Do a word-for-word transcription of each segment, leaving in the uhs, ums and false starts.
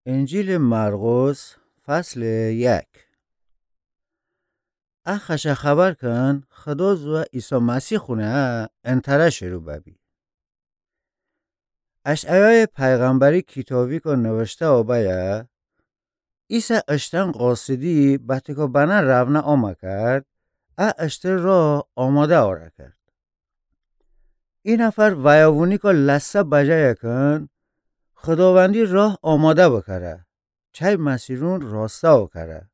انجیلٚ مرقس، فصلٚ یک. ا خوشٚ خبر کن خدا زوأ عیسی مسیح خونه انتره شرو ببی. اشعیایٚ پیغمبری کیتابیکو نوشته‌یو بأیه، ایسه اشتأن قاصدی بتکو بنه رونه آمه کرد، ا اشترٚ راه آماده اورَ کرد. ای نفر ویوونیکو لسه بجایه کن، خداوندی راه آماده بکره، چی مسیرون راسته اوکره.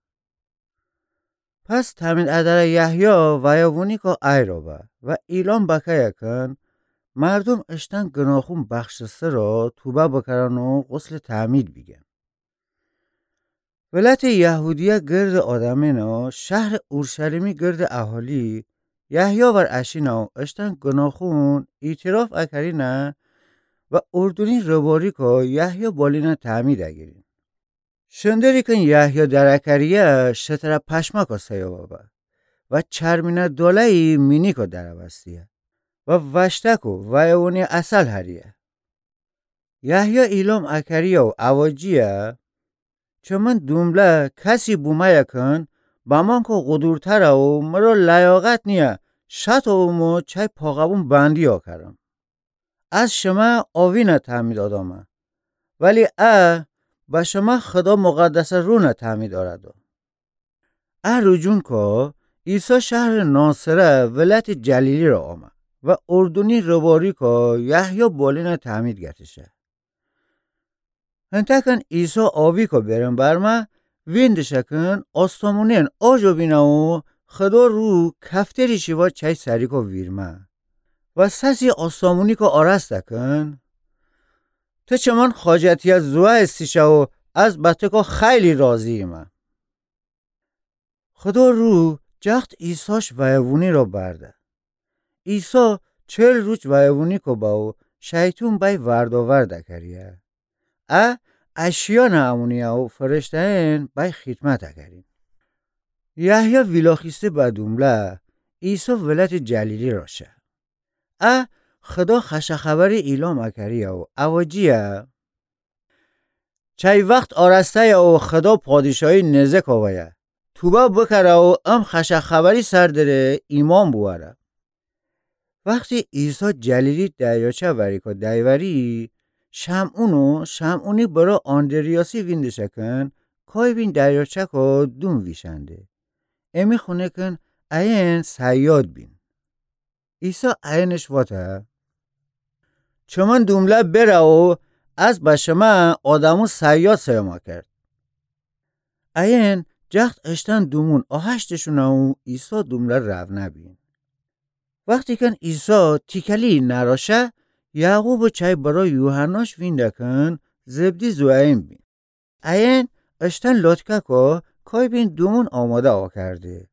پس تأمید ادره یحیی ویوونیکو ایرَ به و ایلام بکه‌یه کن، مردوم اشتأن گناهون بخشسته را توبه بکرن و غسلٚ تأمید بیگن. ولایتٚ یهودیه گردٚ آدمأن و شهرٚ اورشلیمی گردٚ اهالی یحیی ور اشینه و اشتأن گناهون اعتراف اکرینه و اردنی رباریکو یحیی بالینه تأمید اگیرین. شندری کن یحیی درکریه شتره پشماکو سیو ببه و چرمینه داله‌یی مینیکو درأوستیه و وشتکو ویوونی عسل هریه. یحیی ایلام اکریه و اوجیه، چمن دومله کسی بومه‌یه کن بمانکو غدورتره و مرا لیاقت نییه شاتو اومو چی پاقبون بندی اوکرم. از شمه آوینه تأمید آدامه، ولی ا به شمه خدا مقدسٚ روحٚ تأمید اورده. ا روجونکو عیسی شهرٚ ناصره ولایتٚ جلیلی را آمه و اردنی رباریکو یحیی بالینه تأمید گتشه. هنتأ کن عیسی آویکو برم برمه، ویندشه کن آسمونأن آجو بینه و خدا روح کفتری شیوا چی سریکو ویرمه و سسی آسمونیکو آراسته کن، ته چمن خاجتیه زوأ ایسه‌شه و از بتکو خیلی راضی‌یمه. خدا روح جخت عیساش ویوونی را برده. عیسی چل روج ویوونیکو به و شیطون بأی وردآورد اکریه. ا اشیانه امونیه و فرشته‌یأن بأی خیدمت اکرین. یحیی ویلاخیسته به دومله، عیسی ولایتٚ جلیلی را شه. ا خدا خوشٚ خبری ایلام اکریه و اوجیه، چی وخت آرسته‌یه و خدا پادشاهی نزدیک آویه. توبه بکره و ام خوشٚ خبری سر دره ایمأن بوأره. وختی عیسی جلیلی دریاچه وریکو دیوری، شمعون و شمعونی برأ آندریاسی ویندشه کن کای بین دریاچه‌کو دوم ویشأنده. امی خونه کن ایأن صیاد بین. عیسی ایأنش واته، چمن دومله بره و از به شمه آدمو صیاد سیوما کرد. ایأن جخت اشتن دومون آهشتشونه و عیسی دومله رونه بین. وختی کن عیسی تیکلی نرا شه، یعقوب چی برأ یوحناش وینده کن زبدی زوئن بین. ایأن اشتن لوتککو کای بین دومون آماده اوکرده.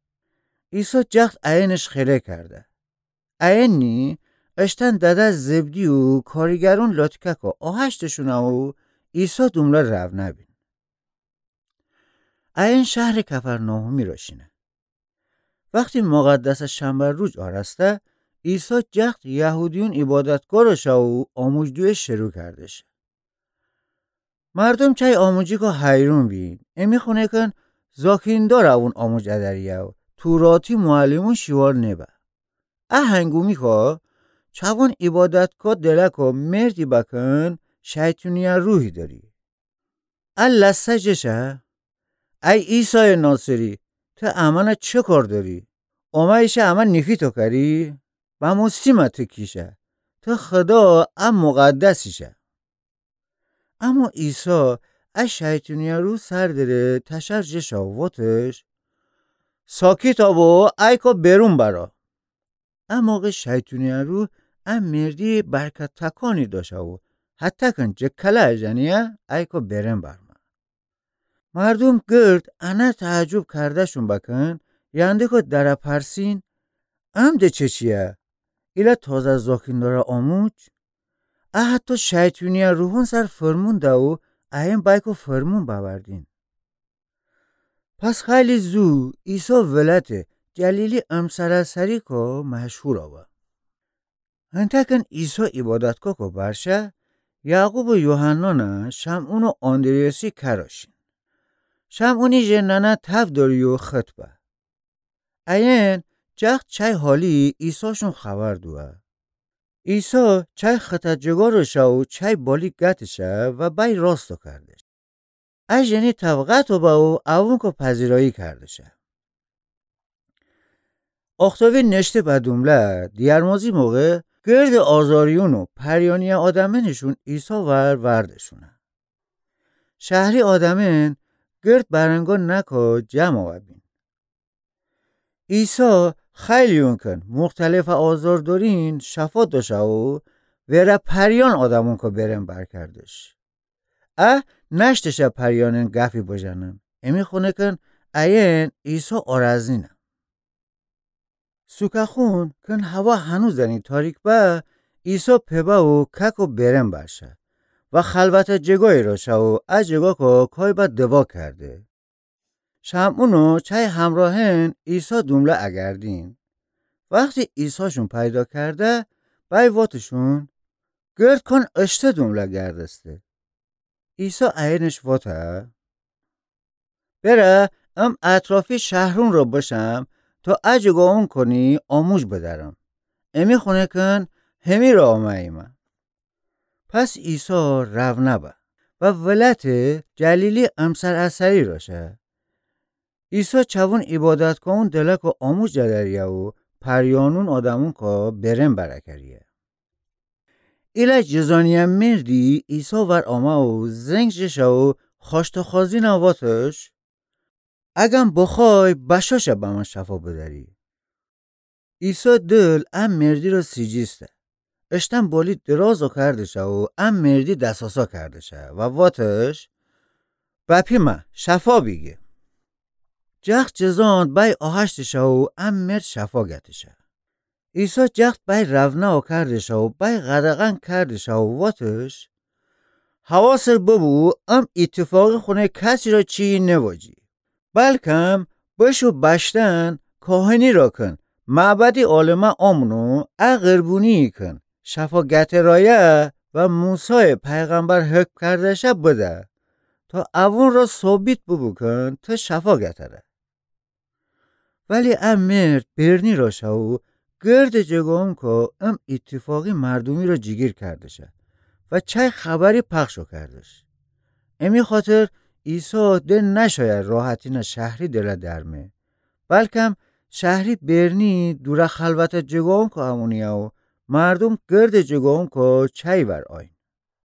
عیسی جخت ایأنش خیره کرده. ایأن نی اشتن دده زبدی و کاریگرون لوتککو آهشتشونه و عیسی دومله رونه بین. ایأن شهرٚ کفرناحومی را شینه. وختی مقدسٚ شنبه روج آرسته، عیسی جخت یهودیون عیبادتگاه را شه و آموج دویه شروع کرده شه. مردوم چی آموجیکو حیرون بین، امی خونه کن زاکیندار اون آموج ادریه و توراتی معلمون شیوار نبه. ا هنگومیکو چوون عیبادتگاه دلکو مردی بکن شیطونیه روحی دری. ا لسه جه شه، ای عیسایٚ ناصری، ته امأنه چه کار دری؟ اومه‌یی شه امه نیفی توکری؟ بموستیمه ته کی شه؟ ته خدا ا مقدسی شه. اما عیسی ا شیطونیه روح سر دره تشر جه شه و واتش، ساکیتا بو، ایکو برون برا. ا موقع شیطونیه روح ا مردی برکت تکانی داشه و هتکن جه کله اجنیه ایکو برون برمه. مردوم گرد انه تعجب کرده‌شون بکن، یندکو دره پرسین، ام ده چه چیه؟ ایله تازه زاکینداره آموج؟ ا حتی شیطونیه روحون سر فرمون ده و ایأن بأیکو فرمون بأوردین. پس خیلی زو عیسی ولایتٚ جلیلی امسرسریکو مشهور به. هنتکن عیسی عیبادتگاهکو بر شه، یعقوب و یوحنانَ شمعون و آندریاسی کراش شین. شمعونی ژه ننه تب دأریی و خط به. ایین جخت چای حالی عیساشون خبر دوه. عیسی چای خطه جگا روشه و چای بالی گتشه و بای راستو کردش. ا ژنی تب قطع به و اوونکو پذیرایی کردشه. آختابی نشته به دومله، دیرمازی موقع گرد آزاریون و پریانیه آدمینشون عیسی ور وردشونه. شهری آدمین گرد برنگا نکا جمع آوه بین. عیسی خیلیون کن مختلف آزار دورین شفا دوشه و وره پریان آدمونکو برن بر کردش. ا نشتشه پریانین گفی بجنن. امی خونه کن ایین عیسی آرزینه. سوکه خون کن هوا هنوز زنی تاریک به، عیسی پبه و کک و برن برشه و خلوته جگایی روشه و ا جگاکو کای به دوا کرده. شمعون و چای همراهین عیسی دومله اگردین. وختی عیساشون پیدا کرده، بای واتشون، گرد کون اشته دومله گردسته. عیسی ایینش واته، بره ام اطرافی شهرون را بشم تا ا جگاونکونی آموج بدرم. امی خونه کن همی را آمه‌ییمه. پس عیسی رونه به و ولایت جلیلی امسر ا سری روشه. عیسی چوون عبادت کون دلکو آموج دریه و پریانون آدمونکو برن بر کریه. ایله جذانیه مردی عیسی ور آمه و زنگ جشه و خوأشتاخوازینه واتش، اگم بخوای بشاشه به من شفا بدری. عیسی دل ا مردی را سیجیسته. اشتم بالی درازو کردشه و ا مردی دساسا کردشه و واتش، بپیمه شفا بیگه. جخت جذان بای آهشتشه و ا مرد شفا گتشه. عیسی جخت بای رونه کردشه و بای قدغن کردشه و واتش، حواست ببو ام ایتفاقی خونه کسی را چیی نواجی. بلکم بشو بشتن کاهنی را کن، معبدی عالمه آمون و ا غربونیی کن شفا گترایه و موسی پیغمبر حکم کردشه بده، تا اوون را ثابت ببوکون ته شفا گتره. ولی ا مرد برنی روشه و گرد جگاونکو ام ایتفاقی مردومی را جیگیر کردشه و چای خبری پخشو کردش. امی خاطر عیسی ده نشایه راحتینه شهری دله درمه، بلکم شهری برنی دوره خلوته جگاونکو امونیه و مردوم گرد جگاونکو چای ور آیین.